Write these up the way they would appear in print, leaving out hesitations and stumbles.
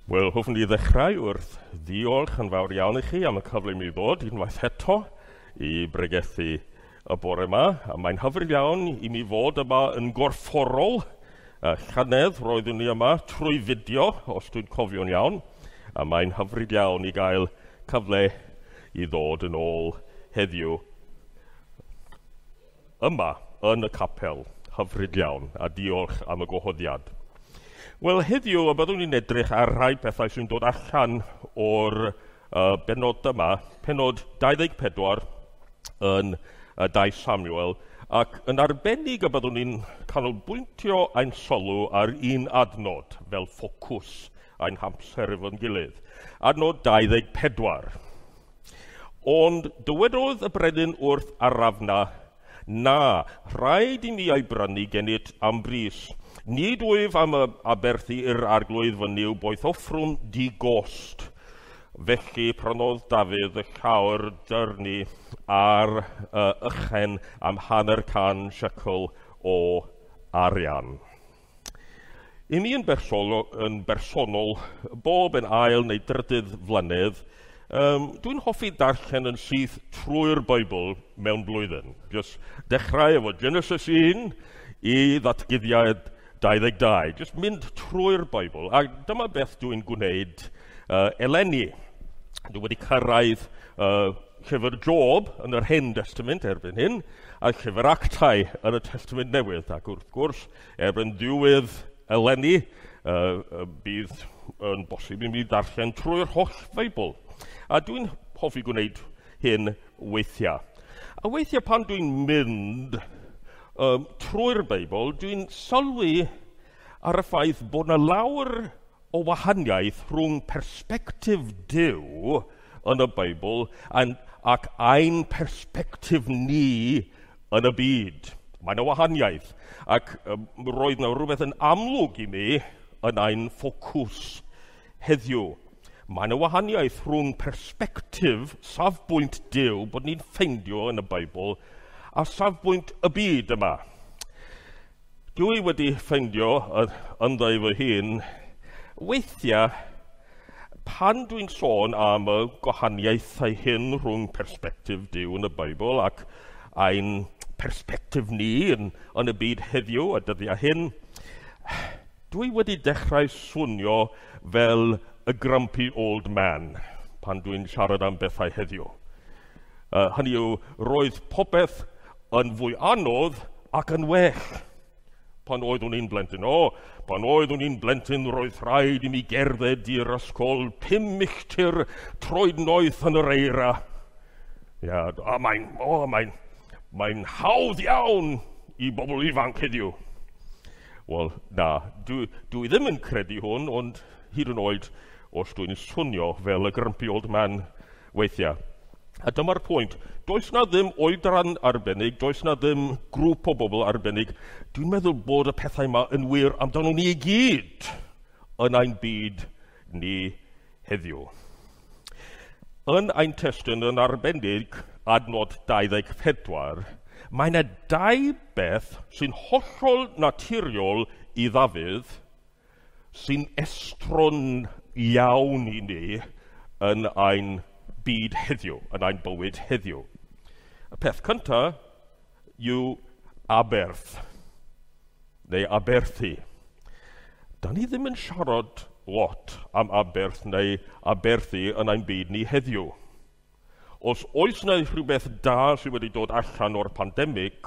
Wel, hoffwn i ddechrau wrth ddiolch yn fawr iawn i chi am y cyfle i mi ddod unwaith eto i bregethu y bore yma. A mae'n hyfryd iawn i mi fod yma yn gorfforol. Llynedd roeddwn ni yma trwy fideo, os dwi'n cofio'n iawn. A mae'n hyfryd iawn i gael cyfle i ddod yn ôl heddiw yma yn y capel. Hyfryd iawn, a diolch am y gwahoddiad. Wel, heddiw y byddwn ni'n edrych ar rhai pethau sy'n dod allan o'r bennod yma, pennod 24 yn 2 Samuel, ac yn arbennig y byddwn ni'n canolbwyntio ein sylw ar un adnod fel ffocws ein hamser efo'n gilydd. Adnod 24. Ond dywedodd y brenin wrth Arafna, na, rhaid i mi ei brynu gennyt am bris. Nid wyf am aberthu i'r arglwydd fy Nuw boeth offrwm di-gost. Felly prynodd Dafydd y llawr dyrnu ar ychen am 50 siecl o arian. I mi yn bersonol, bob yn ail neu drydydd flynedd, dwi'n hoffi darllen yn syth trwy'r Beibl mewn blwyddyn. Just dechrau efo Genesis 1 i Ddatguddiad 22. Just mynd trwy'r Beibl. A dyma beth dwi'n gwneud eleni. Dwi wedi cyrraedd llyfr Job yn yr Hen Testament erbyn hyn, a llyfr Actau yn y Testament Newydd. Ac wrth gwrs, erbyn diwedd eleni, bydd yn bosib i mi darllen trwy'r holl Feibl. A dwi'n hoffi gwneud hyn weithiau. A weithiau pan dwi'n mynd trwy'r Beibl, dwi'n sylwi ar y ffaith bod yna lawer o wahaniaeth rhwng persbectif Duw yn y Beibl ac ein persbectif ni yn y byd. Mae yna wahaniaeth, ac roedd yna rhywbeth yn amlwg i mi yn ein ffocws heddiw. Mae yna wahaniaeth rhwng persbectif, safbwynt Duw, bod ni'n ffeindio yn y Beibl, a safbwynt y byd yma. Dwi wedi ffeindio ynddo fy hun, weithiau pan dwi'n sôn am y gwahaniaethau hyn rhwng persbectif Duw yn y Beibl ac ein persbectif ni yn y byd heddiw a dyddiau hyn, dwi wedi dechrau swnio fel y grumpy old man pan dwi'n siarad am bethau heddiw. Hynny yw, roedd popeth yn fwy anodd ac yn well pan oeddwn i'n blentyn. O, pan oeddwn i'n blentyn, roedd rhaid i mi gerdded i'r ysgol 5 milltir troed noeth yn yr eira. Ia, a mae'n hawdd iawn i bobl ifanc heddiw. Wel, na, dwi ddim yn credu hwn, ond hyd yn oed os dwi'n swnio fel y grumpy old man weithiau. A dyma'r pwynt, does na ddim oedran arbennig, does na ddim grŵp o bobl arbennig. Dwi'n meddwl bod y pethau yma yn wir amdano ni i gyd yn ein byd ni heddiw. Yn ein testun yn arbennig, adnod 24, mae yna dau beth sy'n hollol naturiol i Ddafydd sy'n estron iawn i ni yn ein byd heddiw, yn ein bywyd heddiw. Y peth cyntaf yw aberth, neu aberthu. Da ni ddim yn siarad lot am aberth neu aberthu yn ein byd ni heddiw. Os oes yna rhywbeth da sydd wedi dod allan o'r pandemig,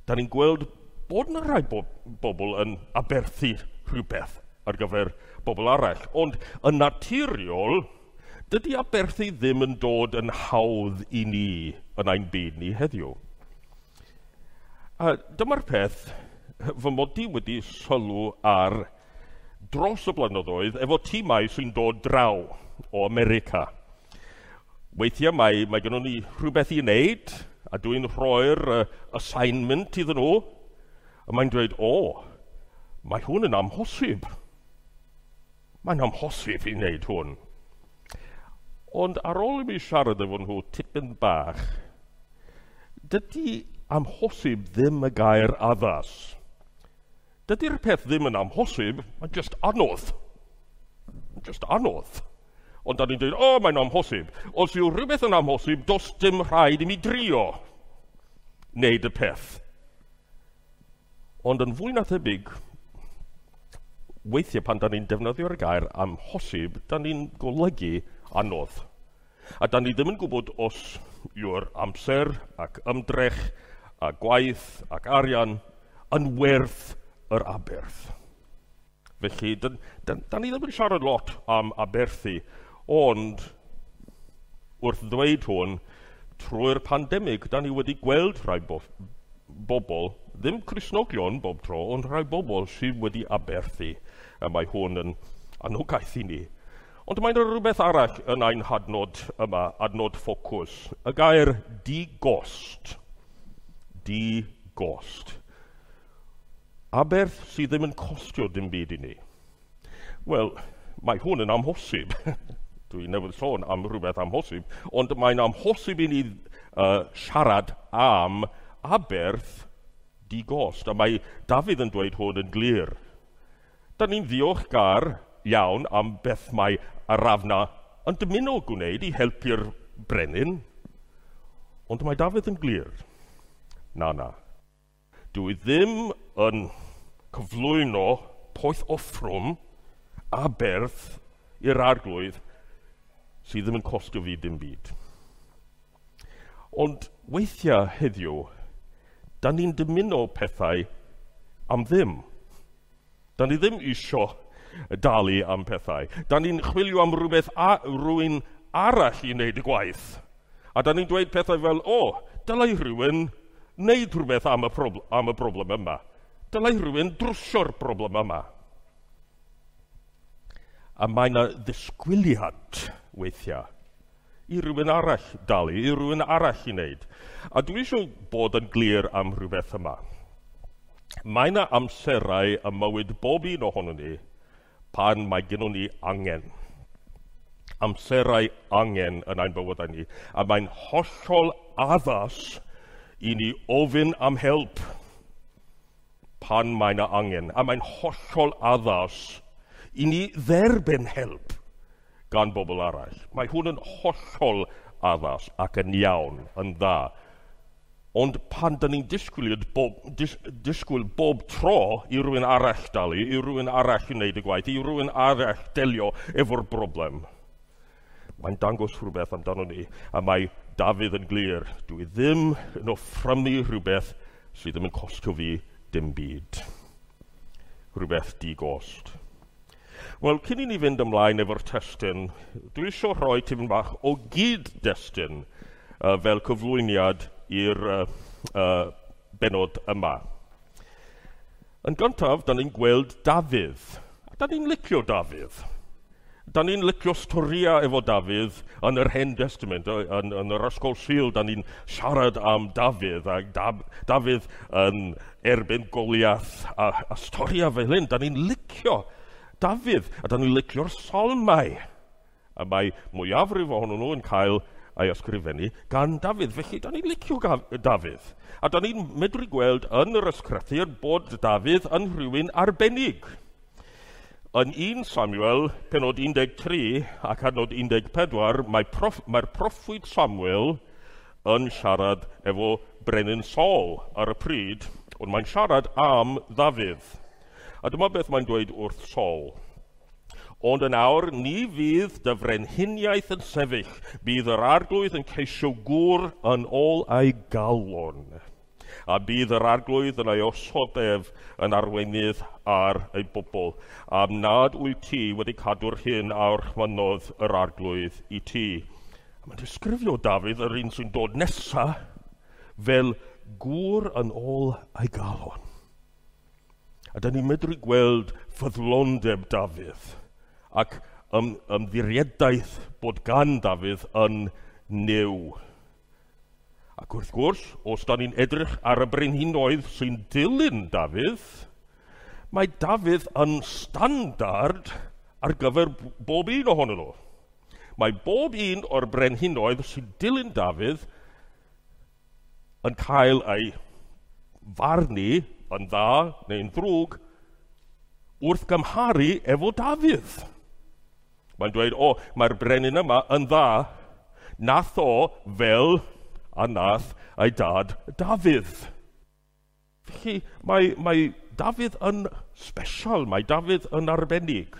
da ni'n gweld bod yna rhai bobl yn aberthu rhywbeth ar gyfer bobl arall. Ond yn naturiol, dydy aberthu ddim yn dod yn hawdd i ni yn ein byd ni heddiw. A dyma'r peth fy mod i wedi sylw ar dros y blynyddoedd efo tîmau sy'n dod draw o America. Weithiau mae gennym ni rhywbeth i wneud, a dwi'n rhoi'r assignment iddyn nhw, a mae'n dweud, o, mae hwn yn amhosib. Mae'n amhosib i wneud hwn. Ond ar ôl i mi siarad efo nhw tipyn bach, dydy amhosib ddim y gair addas. Dydy'r peth ddim yn amhosib, mae'n just anodd. Just anodd. Ond da ni'n dweud, o, mae'n amhosib. Os yw rhywbeth yn amhosib, does dim rhaid i mi drio wneud y peth. Ond yn fwy na thebyg, weithiau pan da ni'n defnyddio'r gair amhosib, da ni'n golygu anodd. A da ni ddim yn gwybod os yw'r amser ac ymdrech a gwaith ac arian yn werth yr aberth. Felly, da, da, da ni ddim yn siarad lot am aberthu, ond wrth ddweud hwn, trwy'r pandemig, da ni wedi gweld rhai bo bobl, ddim Cristnogion bob tro, ond rhai bobl sydd wedi aberthu. A mae hwn yn anogaeth i ni. Ond mae'n rhywbeth arall yn ein hadnod yma, adnod ffocws. Y gair di-gost. Di-gost. Aberth sydd ddim yn costio dim byd i ni. Wel, mae hwn yn amhosib. Dwi newydd sôn am rhywbeth amhosib, ond mae'n amhosib i ni siarad am aberth di-gost. A mae Dafydd yn dweud hwn yn glir. Da ni'n ddiolchgar iawn am beth mae Arafna yn dymuno gwneud i helpu'r brenin, ond mae Dafydd yn glir. Na, na. Dwi ddim yn cyflwyno poeth offrwm aberth i'r arglwydd sydd ddim yn costio fi dim byd. Ond weithiau heddiw, da ni'n dymuno pethau am ddim. Da ni ddim isio dalu am pethau. Da ni'n chwilio am rhywbeth a rhywun arall i wneud y gwaith. A da ni'n dweud pethau fel, o, dylai rhywun wneud rhywbeth am y, am y broblem yma. Dylai rhywun drwsio'r broblem yma. A mae yna ddisgwyliad weithiau i rhywun arall dalu, i rhywun arall i wneud. A dwi eisiau bod yn glir am rhywbeth yma. Mae yna amserau ym mywyd bob un ohonon ni pan mae gennon ni angen. Amserau angen yn ein bywydau ni. A mae'n hollol addas i ni ofyn am help pan mae yna angen. A mae'n hollol addas i ni dderbyn help gan bobl arall. Mae hwn yn hollol addas ac yn iawn, yn dda. Ond pan da ni'n disgwyl bob, disgwyl bob tro i rywun arall dalu, i rywun arall i wneud y gwaith, i rywun arall delio efo'r broblem, mae'n dangos rhywbeth amdano ni, a mae Dafydd yn glir, dwi ddim yn offrymu rhywbeth sydd ddim yn costio fi dim byd. Rhywbeth di-gost. Wel, cyn i ni fynd ymlaen efo'r testun, dwi eisiau rhoi tipyn bach o gyd-destun fel cyflwyniad i'r benod yma. Yn gyntaf, da ni'n gweld Dafydd. A da ni'n licio Dafydd. Da ni'n licio storia efo Dafydd yn yr Hen Testament, yn yr Ysgol Sul, da ni'n siarad am Dafydd, a Dafydd yn erbyn Goliath, a storia fel hyn, da ni'n licio Dafydd, a da ni'n licio'r salmau. A mae mwyafrif ohonyn nhw yn cael ei ysgrifennu gan Dafydd. Felly, da ni'n licio Dafydd. A da ni'n medru gweld yn yr ysgrythur bod Dafydd yn rhywun arbennig. Yn 1 Samuel, penod 13 ac adnod 14, mae'r proffwyd Samuel yn siarad efo Brenin Saul ar y pryd, ond mae'n siarad am Ddafydd. A dyma beth mae'n dweud wrth Saul. Ond yn awr, ni fydd dy frenhiniaeth yn sefyll, bydd yr arglwydd yn ceisio gŵr yn ôl ei galon. A bydd yr arglwydd yn ei osod ef yn arweinydd ar ei bobl, am nad wyt ti wedi cadw'r hyn a orchmynnodd yr arglwydd i ti. A mae'n disgrifio Dafydd, yr un sy'n dod nesa, fel gŵr yn ôl ei galon. A da ni'n medru gweld ffyddlondeb Dafydd ac ymddiriedaeth bod gan Dafydd yn Nuw. Ac wrth gwrs, os da ni'n edrych ar y brenhinoedd sy'n dilyn Dafydd, mae Dafydd yn standard ar gyfer bob un ohonyn nhw. Mae bob un o'r brenhinoedd sy'n dilyn Dafydd yn cael ei farnu yn dda neu'n ddrwg wrth gymharu efo Dafydd. Mae'n dweud, o, mae'r brenin yma yn dda. Nath o fel a nath ei dad Dafydd. Felly mae Dafydd yn special, mae Dafydd yn arbennig.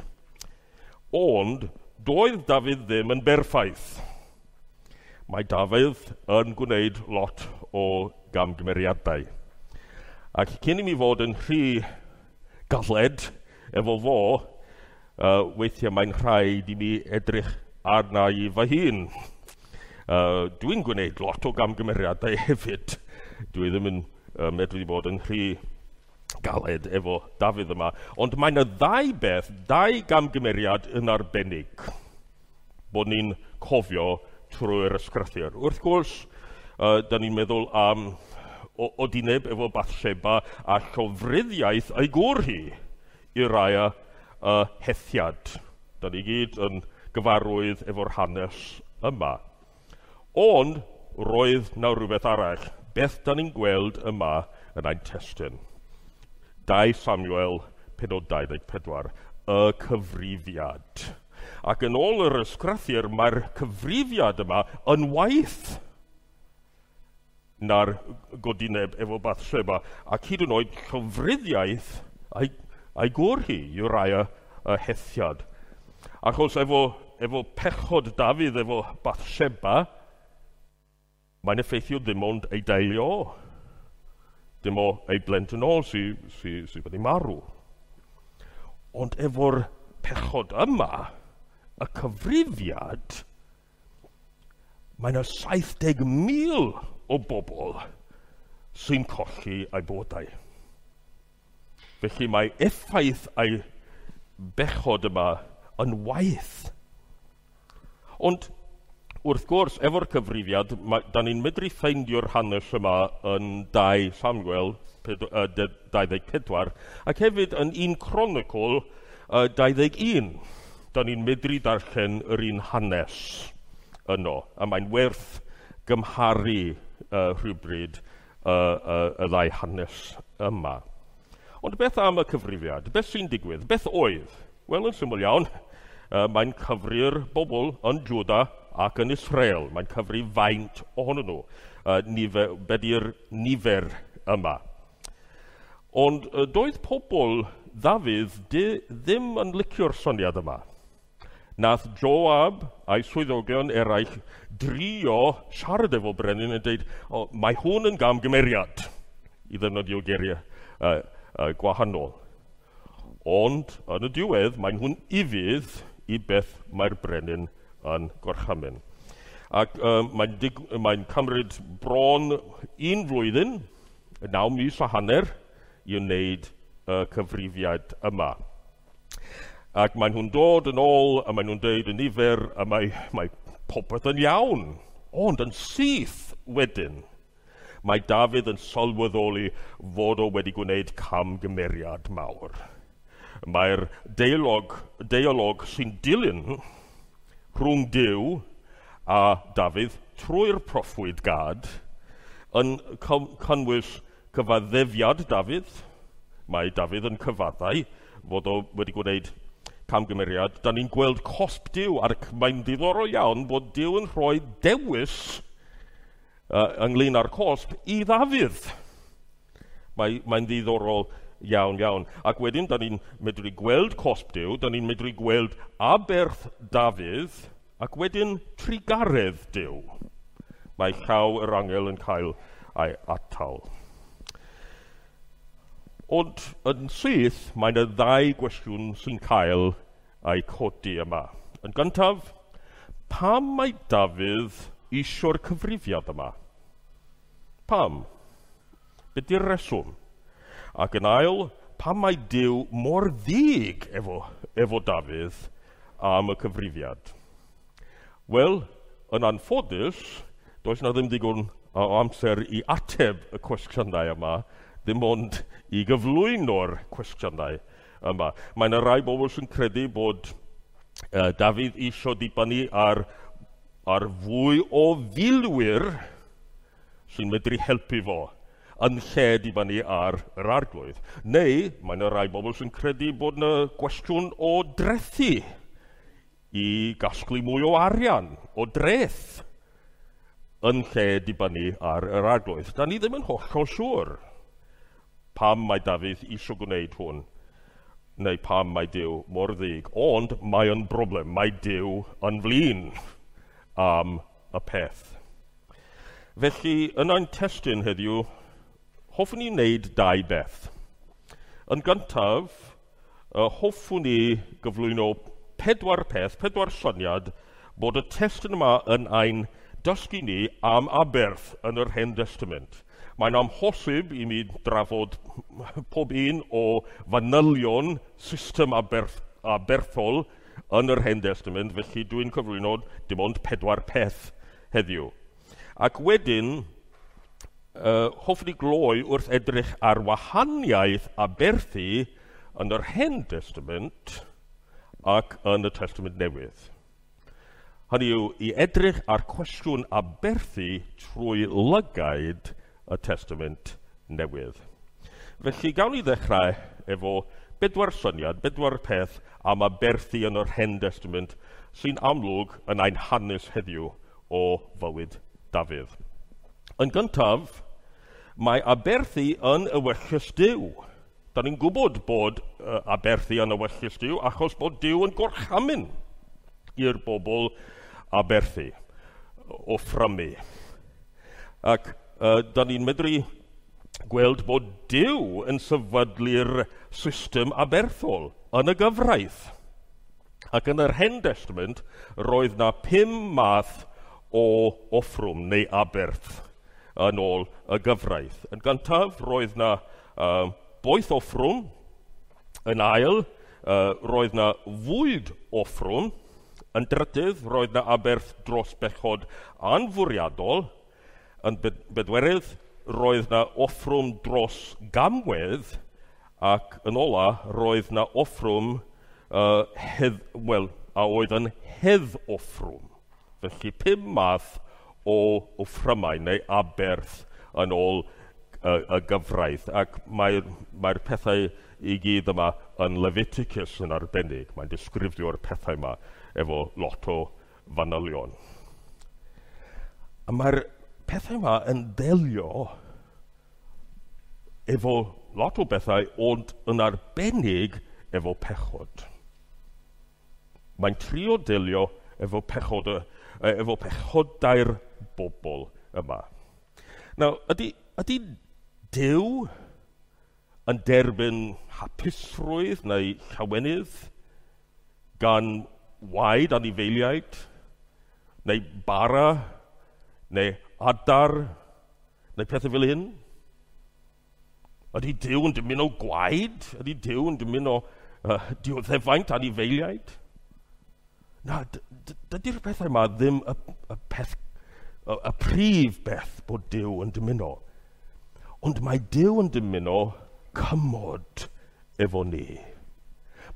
Ond doedd Dafydd ddim yn berffaith. Mae Dafydd yn gwneud lot o gamgymeriadau. Ac cyn i mi fod yn rhy galed efo fo, weithiau mae'n rhaid i mi edrych arna i fy hun. Dwi'n gwneud lot o gamgymeriadau hefyd. Dwi ddim yn medru bod yn rhy galed efo Dafydd yma. Ond mae yna ddau beth, dau gamgymeriad yn arbennig bod ni'n cofio trwy'r ysgrythur. Wrth gwrs, da ni'n meddwl am odineb efo Bathsheba a llofruddiaeth ei gŵr hi, Uriah y Hethiad. Da ni gyd yn gyfarwydd efo'r hanes yma. Ond roedd na rhywbeth arall. Beth da ni'n gweld yma yn ein testun? 2 Samuel, penod 24, y cyfrifiad. Ac yn ôl yr ysgrythur, mae'r cyfrifiad yma yn waeth na'r godineb efo Bathsheba, ac hyd yn oed llofruddiaeth a'i gŵr hi, Uriah y Hethiad. Achos efo pechod Dafydd efo Bathsheba, mae'n effeithio ddim ond ei deulu o. Dim o ei blentyn o sy wedi marw. Ond efo'r pechod yma, y cyfrifiad, mae yna 70,000 o bobl sy'n colli eu bywydau. Felly mae effaith ei bechod yma yn waeth. Ond wrth gwrs, efo'r cyfrifiad, da ni'n medru ffeindio'r hanes yma yn 2 Samuel 24, ac hefyd yn 1 Chronicle 21. Da ni'n medru darllen yr un hanes yno, a mae'n werth gymharu rhywbryd y ddau hanes yma. Ond beth am y cyfrifiad? Beth sy'n digwydd? Beth oedd? Wel, yn syml iawn, mae'n cyfri'r bobl yn Jwda ac yn Israel. Mae'n cyfri faint ohonyn nhw. Be di'r nifer yma? Ond doedd pobl Ddafydd ddim yn licio'r syniad yma. Nath Joab a'i swyddogion eraill drio siarad efo brenin yn dweud, o, mae hwn yn gamgymeriad, i ddefnyddio geiriau gwahanol. Ond yn y diwedd, mae nhw'n ufudd i beth mae'r brenin yn gorchymyn. Ac mae'n cymryd bron un flwyddyn, 9 mis a hanner, i wneud y cyfrifiad yma. Ac maen nhw'n dod yn ôl, a maen nhw'n deud y nifer, a mae popeth yn iawn. Ond yn syth wedyn, mae Dafydd yn sylweddoli fod o wedi gwneud camgymeriad mawr. Mae'r deialog sy'n dilyn rhwng Duw a Dafydd trwy'r proffwyd Gad yn cynnwys cyfaddefiad Dafydd. Mae Dafydd yn cyfaddau fod o wedi gwneud camgymeriad. Da ni'n gweld cosb Duw, ac mae'n ddiddorol iawn bod Duw yn rhoi dewis ynglyn â'r cosb i Ddafydd. Mae'n ddiddorol iawn, iawn. Ac wedyn, da ni'n medru gweld cosb Duw, da ni'n medru gweld aberth Dafydd, ac wedyn trugaredd Duw. Mae llaw yr angel yn cael ei atal. Ond yn syth, mae yna ddau gwestiwn sy'n cael ei codi yma. Yn gyntaf, pam mae Dafydd isio'r cyfrifiad yma? Pam? Be di'r reswm? Ac yn ail, pam mae Duw mor ddig efo Dafydd am y cyfrifiad? Wel, yn anffodus, does na ddim digon o amser i ateb y cwestiynau yma, ddim ond i gyflwyno'r cwestiynau yma. Mae yna rai bobl sy'n credu bod Dafydd isio dibynnu ar fwy o filwyr sy'n medru helpu fo yn lle dibynnu ar yr arglwydd. Neu mae yna rai bobl sy'n credu bod yna gwestiwn o drethu i gasglu mwy o arian, o dreth, yn lle dibynnu ar yr arglwydd. Da ni ddim yn hollol siŵr pam mae Dafydd eisiau gwneud hwn, neu pam mae Duw mor ddig, ond mae yn broblem, mae Duw yn flin am y peth. Felly, yn ein testun heddiw, hoffwn i wneud dau beth. Yn gyntaf, hoffwn i gyflwyno pedwar peth, pedwar syniad, bod y testun yma yn ein dysgu ni am aberth yn yr Hen Testament. Mae'n amhosib i mi drafod pob un o fanylion system aberthol yn yr Hen Testament, felly dwi'n cyflwyno dim ond pedwar peth heddiw. Ac wedyn, hoffwn i gloi wrth edrych ar wahaniaeth aberthu yn yr Hen Testament ac yn y Testament Newydd. Hynny yw, i edrych ar cwestiwn aberthu trwy lygaid y Testament Newydd. Felly, gawn ni ddechrau efo bedwar syniad, bedwar peth am aberthu yn yr Hen Testament sy'n amlwg yn ein hanes heddiw o fywyd Dafydd. Yn gyntaf, mae aberthu yn ewyllys Duw. Da ni'n gwybod bod aberthu yn ewyllys Duw achos bod Duw yn gorchymyn i'r bobl aberthu, offrymu. Ac da ni'n medru gweld bod Duw yn sefydlu'r system aberthol yn y gyfraith. Ac yn yr Hen Testament, roedd na 5 math o offrwm neu aberth yn ôl y gyfraith. Yn gyntaf, roedd na boeth offrwm. Yn ail, roedd na fwyd offrwm. Yn drydydd, roedd na aberth dros bechod anfwriadol. Yn bedwerydd, roedd na offrwm dros gamwedd. Ac yn ola, roedd na offrwm a oedd yn hedd offrwm. Felly 5 math o offrymau neu aberth yn ôl y gyfraith. Ac mae'r pethau i gyd yma yn Leviticus yn arbennig. Mae'n disgrifio'r pethau yma efo lot o fanylion. A mae'r pethau yma yn delio efo lot o bethau, ond yn arbennig efo pechod. Mae'n trio delio efo pechod, efo pechodau'r bobl yma. Nawr, ydy Duw yn derbyn hapusrwydd neu llawenydd gan waed anifeiliaid, neu bara, neu adar, neu pethau fel hyn? Ydy Duw yn dymuno gwaed? Ydy Duw yn dymuno dioddefaint anifeiliaid? Na, dydy'r pethau yma ddim y prif beth bod Duw yn dymuno. Ond mae Duw yn dymuno cymod efo ni.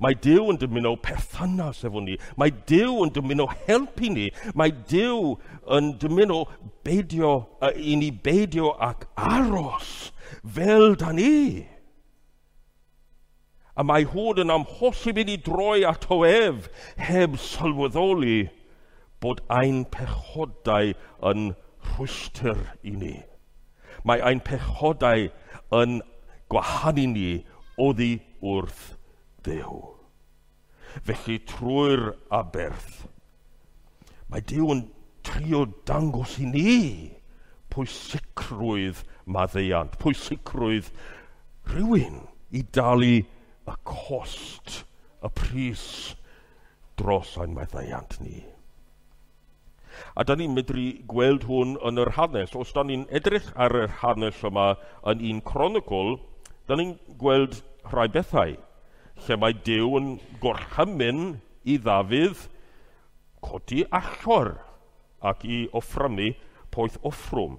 Mae Duw yn dymuno perthynas efo ni. Mae Duw yn dymuno helpu ni. Mae Duw yn dymuno beidio, i ni beidio ac aros fel da ni. A mae hwn yn amhosib i ni droi ato ef heb sylweddoli bod ein pechodau yn rhwystr i ni. Mae ein pechodau yn gwahanu ni oddi wrth Dduw. Felly trwy'r aberth, mae Duw yn trio dangos i ni pwysicrwydd maddeuant, pwysicrwydd rhywun i dalu y cost, y pris dros ein maddeuant ni. A da ni'n medru gweld hwn yn yr hanes. Os da ni'n edrych ar yr hanes yma yn un Cronicl, da ni'n gweld rhai bethau lle mae Duw yn gorchymyn i Ddafydd codi allor ac i offrymu poeth offrwm.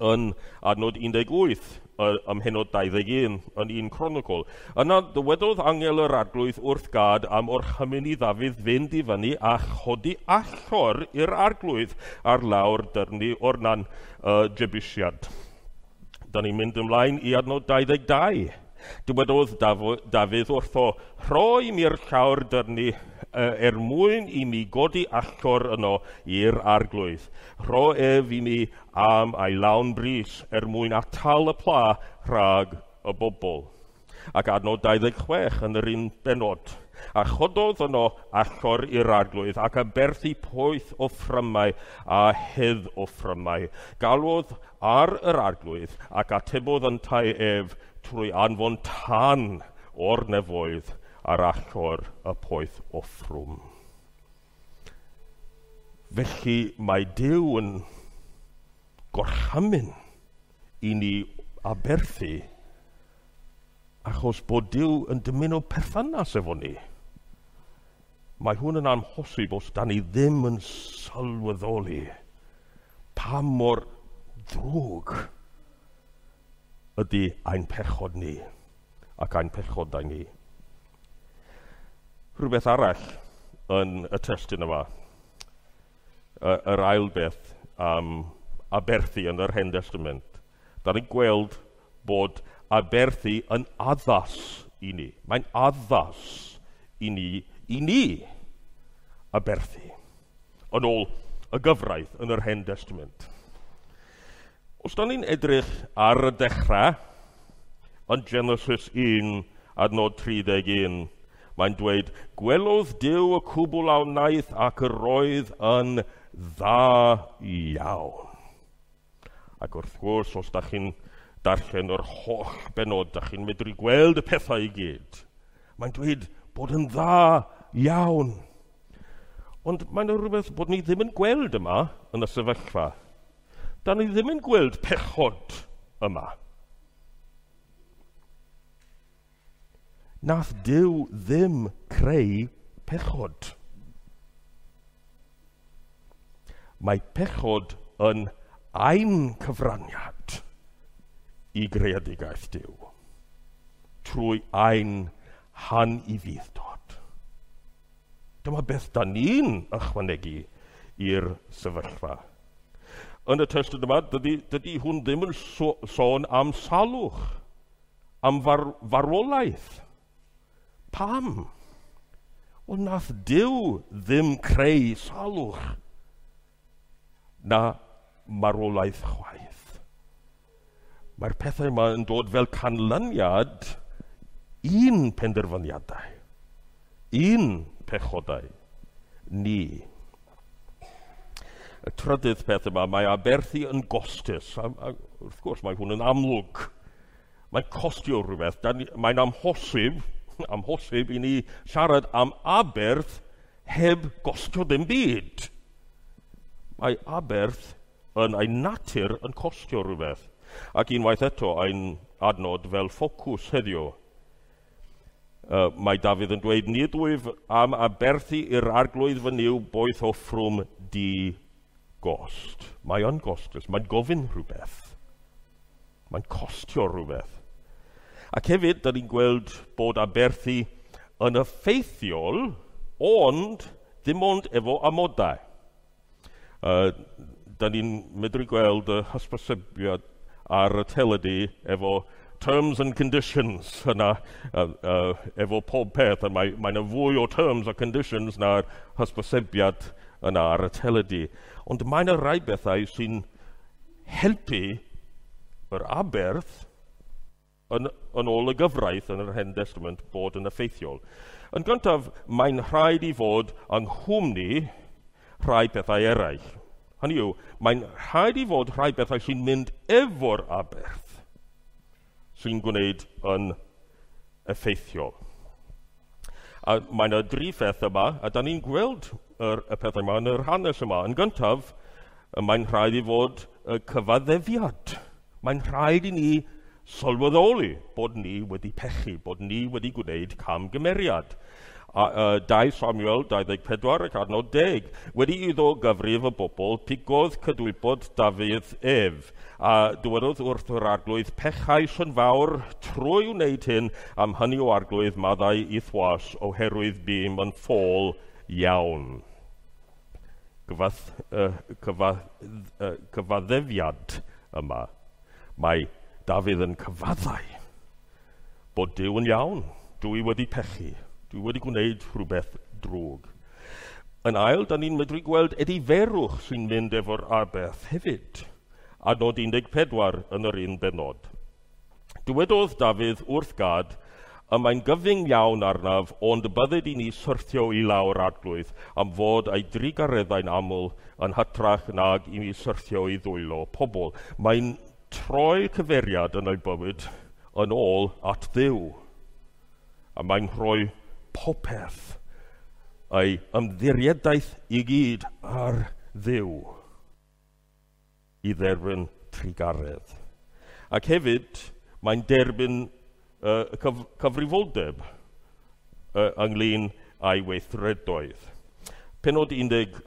Yn adnod 18, ym mhennod 21 yn un Cronicl. Yna dywedodd angel yr arglwydd wrth Gad am orchymyn i Ddafydd fynd i fyny a chodi allor i'r arglwydd ar lawr dyrnu o'r nan Jebusiad. Da ni'n mynd ymlaen i adnod 22. Dywedodd Dafydd wrtho, rhoi mi'r llawr dyrnu er mwyn i mi godi allor yno i'r arglwydd. Rho ef i mi am ei lawn bris er mwyn atal y pla rhag y bobl. Ac adnod 26 yn yr un benod. A chododd yno allor i'r arglwydd ac aberthu poeth o ffrymau a hedd o ffrymau. Galwodd ar yr arglwydd ac atebodd yntau ef trwy anfon tân o'r nefoedd ar allor y poeth offrwm. Felly mae Duw yn gorchymyn i ni aberthu achos bod Duw yn dymuno perthynas efo ni. Mae hwn yn amhosib os da ni ddim yn sylweddoli pa mor ddrwg ydy ein pechod ni ac ein pechodau ni. Rhywbeth arall yn y testun yma, yr ail beth am aberthu yn yr Hen Testament. Da ni'n gweld bod aberthu yn addas i ni. Mae'n addas i ni aberthu, yn ôl y gyfraith yn yr Hen Testament. Os da ni'n edrych ar y dechrau, yn Genesis 1, adnod 31, mae'n dweud, gwelodd Duw y cwbl a wnaeth ac yr oedd yn dda iawn. Ac wrth gwrs, os da chi'n darllen yr holl benod, da chi'n medru gweld y pethau i gyd. Mae'n dweud bod yn dda iawn. Ond mae'n rhywbeth bod ni ddim yn gweld yma yn y sefyllfa. Da ni ddim yn gweld pechod yma. Nath Duw ddim creu pechod. Mae pechod yn ein cyfraniad i greadigaeth Duw, trwy ein hanufudd-dod. Dyma beth da ni'n ychwanegu i'r sefyllfa. Yn y testun yma, dydy hwn ddim yn sôn am salwch, am farwolaeth. Pam? Wel, nath Duw ddim creu salwch na marwolaeth chwaith. Mae'r pethau yma yn dod fel canlyniad un penderfyniadau, un pechodau, ni. Y trydydd peth yma, mae aberthu yn gostus. A wrth gwrs, mae hwn yn amlwg. Mae'n costio rhywbeth. Mae'n amhosib i ni siarad am aberth heb gostio ddim byd. Mae aberth yn ei natur yn costio rhywbeth. Ac unwaith eto, ein adnod fel ffocws heddiw. Mae Dafydd yn dweud, nid wyf am aberthu i'r arglwydd fy Nuw boeth offrwm di gost. Mae yn gostus, mae'n gofyn rhywbeth. Mae'n costio rhywbeth. Ac hefyd, da ni'n gweld bod aberthu yn effeithiol, ond ddim ond efo amodau. Da ni'n medru gweld y hysbysebiad ar y teledu efo terms and conditions yna, efo pob peth, a mae yna fwy o terms a conditions na'r hysbysebiad yna ar y teledu. Ond mae yna rai bethau sy'n helpu yr aberth yn ôl y gyfraith yn yr Hen Testament bod yn effeithiol. Yn gyntaf, mae'n rhaid i fod yng nghwmni rhai pethau eraill. Hynny yw, mae'n rhaid i fod rhai pethau sy'n mynd efo'r aberth sy'n gwneud yn effeithiol. A mae yna dri pheth yma, a da ni'n gweld y pethau yma yn yr hanes yma. Yn gyntaf, mae'n rhaid i fod y cyfaddefiad. Mae'n rhaid i ni sylweddoli bod ni wedi pechu, bod ni wedi gwneud camgymeriad. 2 Samuel 24 ac adnod 10. Wedi iddo gyfrif y bobl, pigodd cydwybod Dafydd ef, a dywedodd wrth yr arglwydd, pechais yn fawr trwy wneud hyn, am hynny o arglwydd maddau i'th was, oherwydd bûm yn ffôl iawn. Cyfaddefiad yma. Mae Dafydd yn cyfaddau bod Duw yn iawn. Dwi wedi pechu. Dwi wedi gwneud rhywbeth drwg. Yn ail, da ni'n medru gweld ediferwch sy'n mynd efo'r aberth hefyd, adnod 14 yn yr un bennod. Dywedodd Dafydd wrth Gad, y mae'n gyfyng iawn arnaf, ond bydded i ni syrthio i lawr Arglwydd am fod ei drugareddau'n aml yn hytrach nag i mi syrthio i ddwylo pobl. Mae'n troi cyfeiriad yn ei bywyd yn ôl at Dduw. A mae'n rhoi popeth ei ymddiriedaeth i gyd ar Dduw i dderbyn trugaredd. Ac hefyd, mae'n derbyn cyfrifoldeb ynglyn â'i weithredoedd. Pennod 10,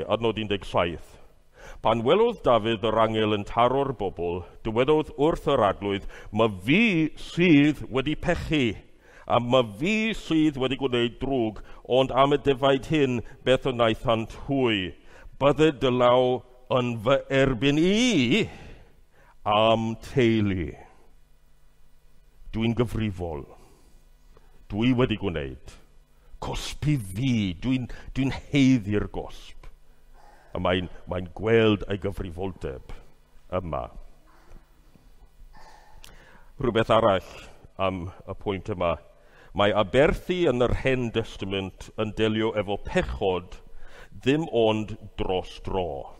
adnod 17. Pan welodd Dafydd yr angel yn taro'r bobl, dywedodd wrth yr Arglwydd, "Ma fi sydd wedi pechu, a ma fi sydd wedi gwneud drwg, ond am y defaid hyn, beth y wnaethant hwy? Bydded dy law yn fy erbyn i am teulu. Dwi'n gyfrifol. Dwi wedi gwneud. Cosbi fi. Dwi'n haeddu'r gosb." A mae'n gweld ei gyfrifoldeb yma. Rhywbeth arall am y pwynt yma. Mae aberthu yn yr Hen Testament yn delio efo pechod ddim ond dros dro.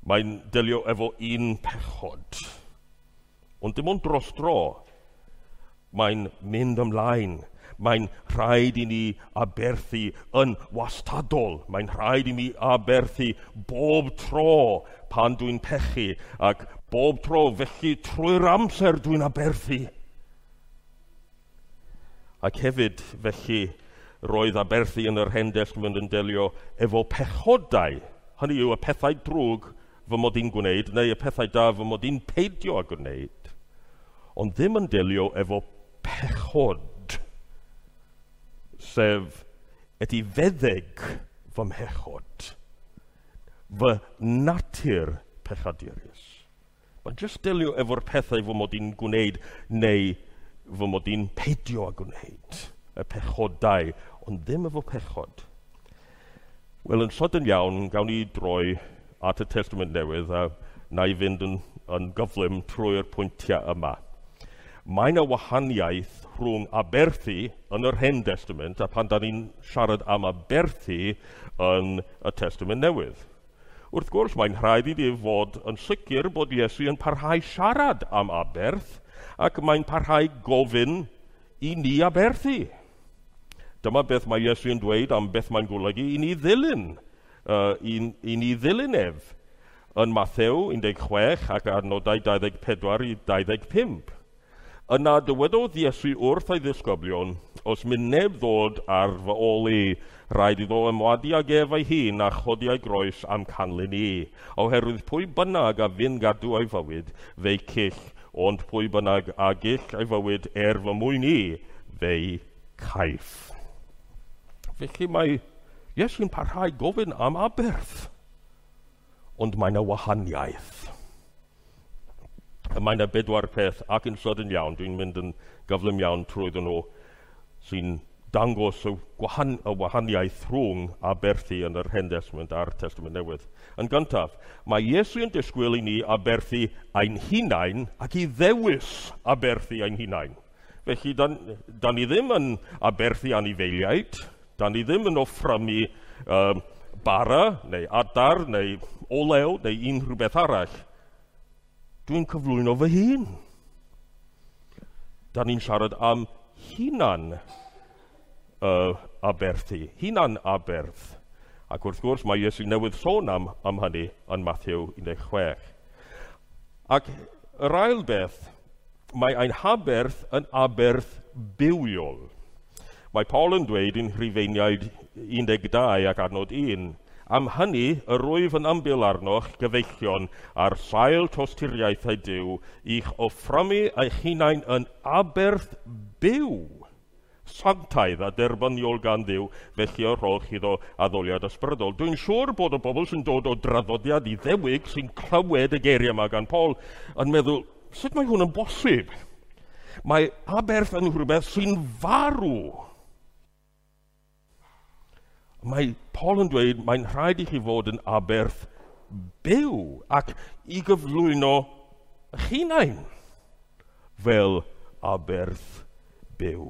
Mae'n delio efo un pechod, ond dim ond dros dro. Mae'n mynd ymlaen. Mae'n rhaid i ni aberthu yn wastadol. Mae'n rhaid i mi aberthu bob tro pan dwi'n pechu, ac bob tro felly trwy'r amser dwi'n aberthu. Ac hefyd felly roedd aberthu yn yr Hen Testament yn delio efo pechodau, hynny yw y pethau drwg fy mod i'n gwneud, neu y pethau da fy mod i'n peidio â gwneud, ond ddim yn delio efo pechod, sef etifeddeg fy mhechod, fy natur pechadurus. Mae'n jyst delio efo'r pethau fy mod i'n gwneud neu fy mod i'n peidio â gwneud, y pechodau, ond ddim efo pechod. Wel, yn sydyn iawn, gawn ni droi at y Testament Newydd a na i fynd yn gyflym trwy'r pwyntiau yma. Mae yna wahaniaeth rhwng aberthu yn yr Hen Testament a pan da ni'n siarad am aberthu yn y Testament Newydd. Wrth gwrs, mae'n rhaid i ni fod yn sicr bod Iesu yn parhau siarad am aberth ac mae'n parhau gofyn i ni aberthu. Dyma beth mae Iesu yn dweud am beth mae'n golygu i ni ddilyn, i ni ddilyn ef yn Mathew 16 ac adnodau 24 i 25. Yna dywedodd Iesu wrth ei ddisgyblion, os mynd neb ddod ar fy ôl i, rhaid iddo ymwadu ag ef ei hun a chodi ei groes am canlyn i. Oherwydd pwy bynnag a fyn gadw ei fywyd, fe'i cyll, ond pwy bynnag a gyll ei fywyd er fy mwyn i, fe'i caiff. Felly mae Iesu'n parhau gofyn am aberth, ond mae yna wahaniaeth. Mae yna bedwar peth, ac yn sydyn iawn, dwi'n mynd yn gyflym iawn trwyddyn nhw, sy'n dangos y wahaniaeth rhwng aberthu yn yr Hen Testament a'r Testament Newydd. Yn gyntaf, mae Iesu yn disgwyl i ni aberthu ein hunain ac i ddewis aberthu ein hunain. Felly, da ni ddim yn aberthu anifeiliaid, da ni ddim yn offrymu bara neu adar neu olew neu unrhyw beth arall. Dwi'n cyflwyno fy hun. Da ni'n siarad am hunan aberthu, hunan aberth. Ac wrth gwrs mae Iesu newydd sôn am hynny yn Mathew 16. Ac yr ail beth, mae ein haberth yn aberth bywiol. Mae Paul yn dweud yn Rhufeiniaid 12 ac adnod 1, am hynny, yr wyf yn ymbil arnoch, gyfeillion, ar sail tosturiaethau Duw, i'ch offrymu eich hunain yn aberth byw, sanctaidd a derbyniol gan Dduw, felly y rhowch iddo addoliad ysbrydol. Dwi'n siŵr bod y bobl sy'n dod o draddodiad Iddewig sy'n clywed y geiriau yma gan Paul yn meddwl, sut mae hwn yn bosib? Mae aberth yn rhywbeth sy'n farw. Mae Paul yn dweud mae'n rhaid i chi fod yn aberth byw ac i gyflwyno eich hunain fel aberth byw.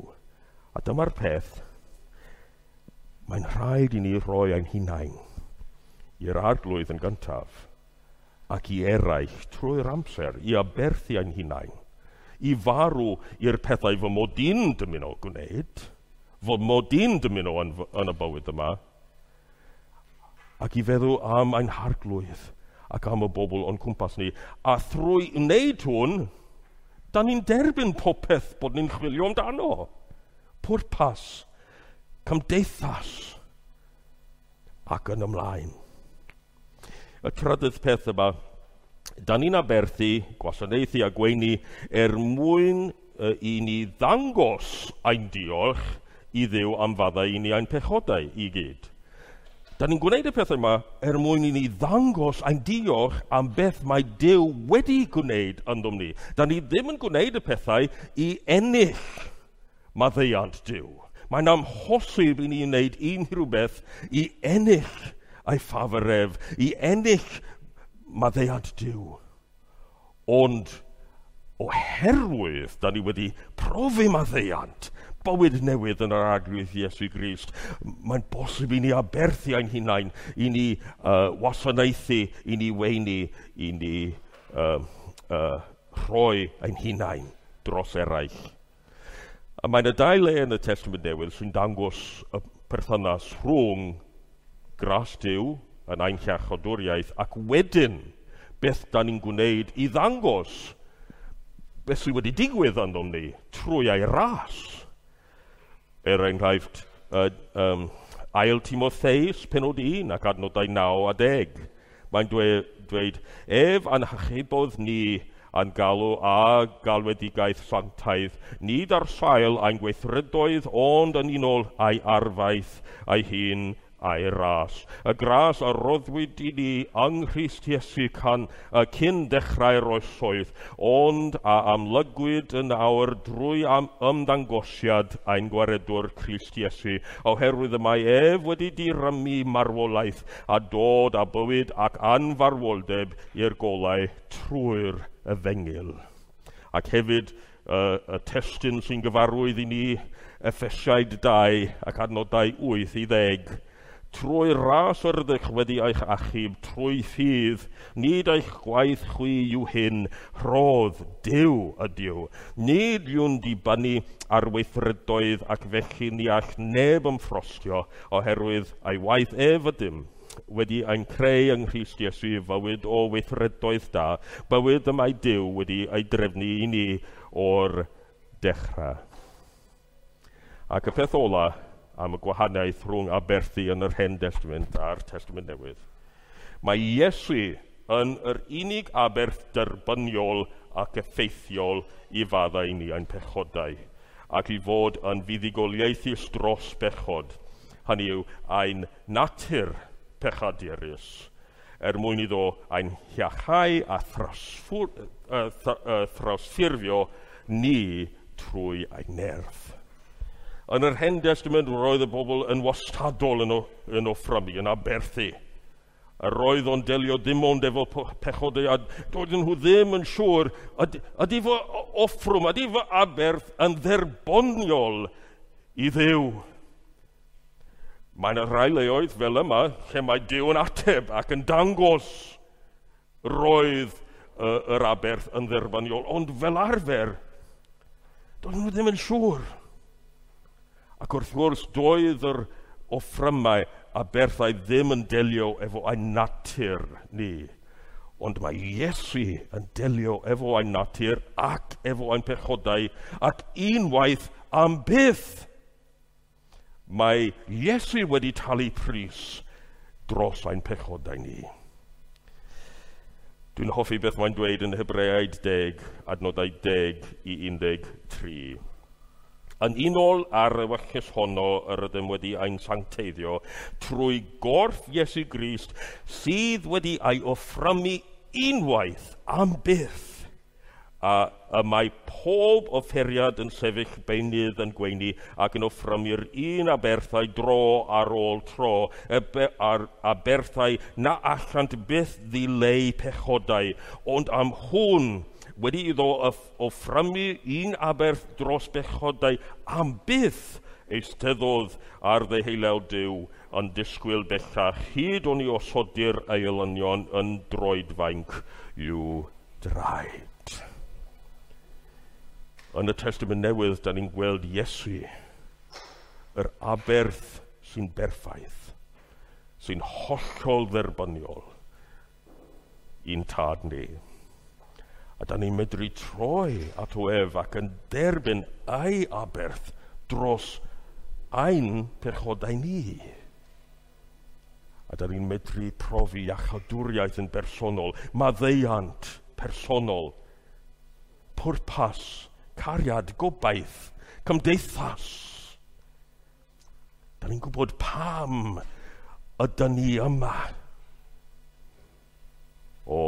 A dyma'r peth, mae'n rhaid i ni roi ein hunain i'r Arglwydd yn gyntaf ac i eraill trwy'r amser, i aberthu ein hunain, i farw i'r pethau fy mod i'n dymuno gwneud, fy mod i'n dymuno yn y bywyd yma, ac i feddwl am ein Harglwydd ac am y bobl o'n cwmpas ni. A thrwy wneud hwn, da ni'n derbyn popeth bod ni'n chwilio amdano. Pwrpas, cymdeithas, ac yn ymlaen. Y trydydd peth yma, da ni'n aberthu, gwasanaethu a gweini er mwyn i ni ddangos ein diolch i Dduw am faddau i ni ein pechodau i gyd. Da ni'n gwneud y pethau yma er mwyn i ni ddangos ein diolch am beth mae Duw wedi gwneud yndom ni. Da ni ddim yn gwneud y pethau i ennill maddeuant Duw. Mae'n amhosib i ni wneud unrhyw beth i ennill ei ffafr ef, i ennill maddeuant Duw. Ond oherwydd da ni wedi profi maddeuant, bywyd newydd yn yr Arglwydd Iesu Grist, mae'n bosib i ni aberthu ein hunain, i ni wasanaethu, i ni weini, i ni rhoi ein hunain dros eraill. A mae'n y dau le yn y Testament Newydd sy'n dangos y perthynas rhwng gras Duw yn ein hiachodwriaeth ac wedyn beth da ni'n gwneud i ddangos beth sydd wedi digwydd yndom ni trwy ei ras. Er enghraifft, Ail Timotheus, penod 1 ac adnodau 9 a 10. Mae'n dweud, ef a'n hachubodd ni a'n galw a galwedigaeth sanctaidd, nid ar sail ein gweithredoedd, ond yn unol â'i arfaeth ei hun a'i ras. Y gras a roddwyd i ni yng Nghrist Iesu cyn dechrau'r oesoedd, ond a amlygwyd yn awr drwy ymddangosiad ein gwaredwr Crist Iesu, oherwydd y mae ef wedi dirymu marwolaeth a dod â bywyd ac anfarwoldeb i'r golau trwy'r efengyl. Ac hefyd y testun sy'n gyfarwydd i ni, Effesiaid 2 ac adnodau 8 i 10, trwy ras yr ydych wedi eich achub, trwy ffydd, nid eich gwaith chwi yw hyn, rhodd Duw ydyw. Nid yw'n dibynnu ar weithredoedd ac felly ni all neb ymffrostio, oherwydd ei waith ef ydym, wedi ein creu yng Nghrist Iesu fywyd o weithredoedd da, bywyd y mae Duw wedi ei drefnu i ni o'r dechrau. Ac y peth ola am y gwahaniaeth rhwng aberthu yn yr Hen Testament a'r Testament Newydd. Mae Iesu yn yr unig aberth derbyniol ac effeithiol i faddau ni ein pechodau, ac i fod yn fuddugoliaethus dros bechod, hynny yw ein natur pechadurus, er mwyn iddo ein hiachau a thrawsffurfio ni trwy ein nerth. Yn yr Hen Testament roedd y bobl yn wastadol yn offrymu, yn aberthu. A roedd o'n delio dim ond efo pechodau, a doedden nhw ddim yn siŵr, ydy fy offrwm, ydy fy aberth yn dderbyniol i Dduw. Mae yna rhai leoedd fel yma lle mae Duw yn ateb ac yn dangos roedd yr aberth yn dderbyniol, ond fel arfer, doedden nhw ddim yn siŵr. Ac wrth gwrs, doedd yr offrymau aberthau ddim yn delio efo ein natur ni. Ond mae Iesu yn delio efo ein natur ac efo ein pechodau ac unwaith am byth. Mae Iesu wedi talu pris dros ein pechodau ni. Dwi'n hoffi beth mae'n dweud yn Hebreaid 10, adnodau 10 i 13. Yn unol â'r ewyllys honno yr ydym wedi ein sancteiddio trwy gorff Iesu Grist sydd wedi ei offrymu unwaith am byth A y mae pob offeriad yn sefyll beunydd yn gweini ac yn offrymu'r un aberthau dro ar ôl tro, aberthau na allant byth ddileu pechodau, ond am hwn wedi iddo offrymu un aberth dros bechodau am byth, eisteddodd ar ddeheulew Duw yn disgwyl bellach hyd oni osodir ei elynion yn droedfainc i'w draed. Yn y Testament Newydd, da ni'n gweld Iesu, yr aberth sy'n berffaith, sy'n hollol dderbyniol i'n tad ni. A da ni'n medru troi ato ef ac yn derbyn ei aberth dros ein pechodau ni. A da ni'n medru profi iachawdwriaeth yn bersonol, maddeuant personol, pwrpas, cariad, gobaith, cymdeithas. Da ni'n gwybod pam ydyn ni yma. O,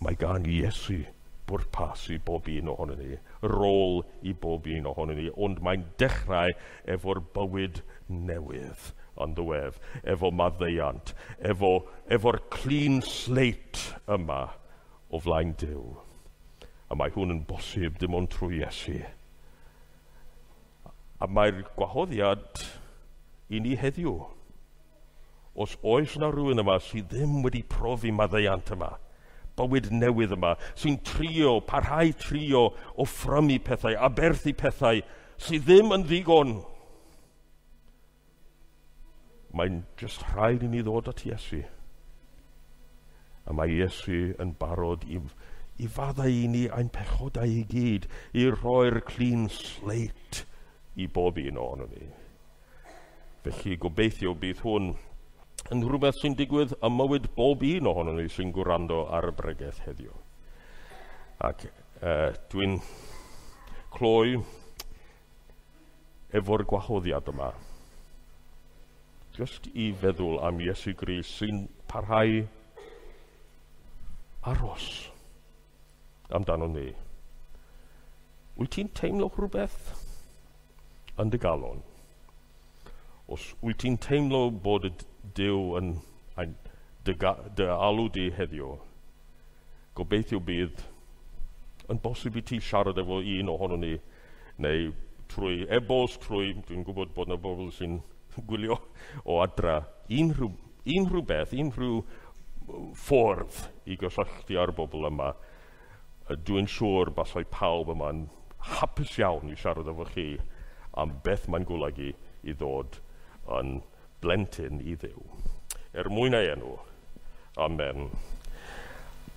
mae gan Iesu bwrpas i bob un ohono ni, rôl i bob un ohono ni, ond mae'n dechrau efo'r bywyd newydd yn ddiwedd, efo maddeuant, efo'r clean slate yma o flaen Duw. A mae hwn yn bosib dim ond trwy Iesu. A mae'r gwahoddiad i ni heddiw. Os oes yna rhywun yma sydd ddim wedi profi maddeuant yma, bywyd newydd yma, sy'n trio, parhau trio offrymu pethau, aberthu pethau, sydd ddim yn ddigon, mae'n jyst rhaid i ni ddod at Iesu. A mae Iesu yn barod i faddau i ni ein pechodau i gyd, i roi'r clean slate i bob un ohono ni. Felly gobeithio bydd hwn yn rhywbeth sy'n digwydd ym mywyd bob un ohono ni sy'n gwrando ar y bregeth heddiw. Ac dwi'n cloi efo'r gwahoddiad yma. Just i feddwl am Iesu Grist sy'n parhau aros amdano ni. Wyt ti'n teimlo rhywbeth yn dy galon? Os wyt ti'n teimlo bod y Duw yn dy alw di heddiw, gobeithio bydd yn bosib i ti siarad efo un ohono ni, neu trwy e-bost, trwy, dwi'n gwybod bod yna bobl sy'n gwylio o adra, unrhyw beth, unrhyw ffordd i gysylltu â'r bobl yma. Dwi'n siŵr basai pawb yma'n hapus iawn i siarad efo chi am beth mae'n golygu i ddod yn blentyn i Dduw. Er mwyn ei enw. Amen.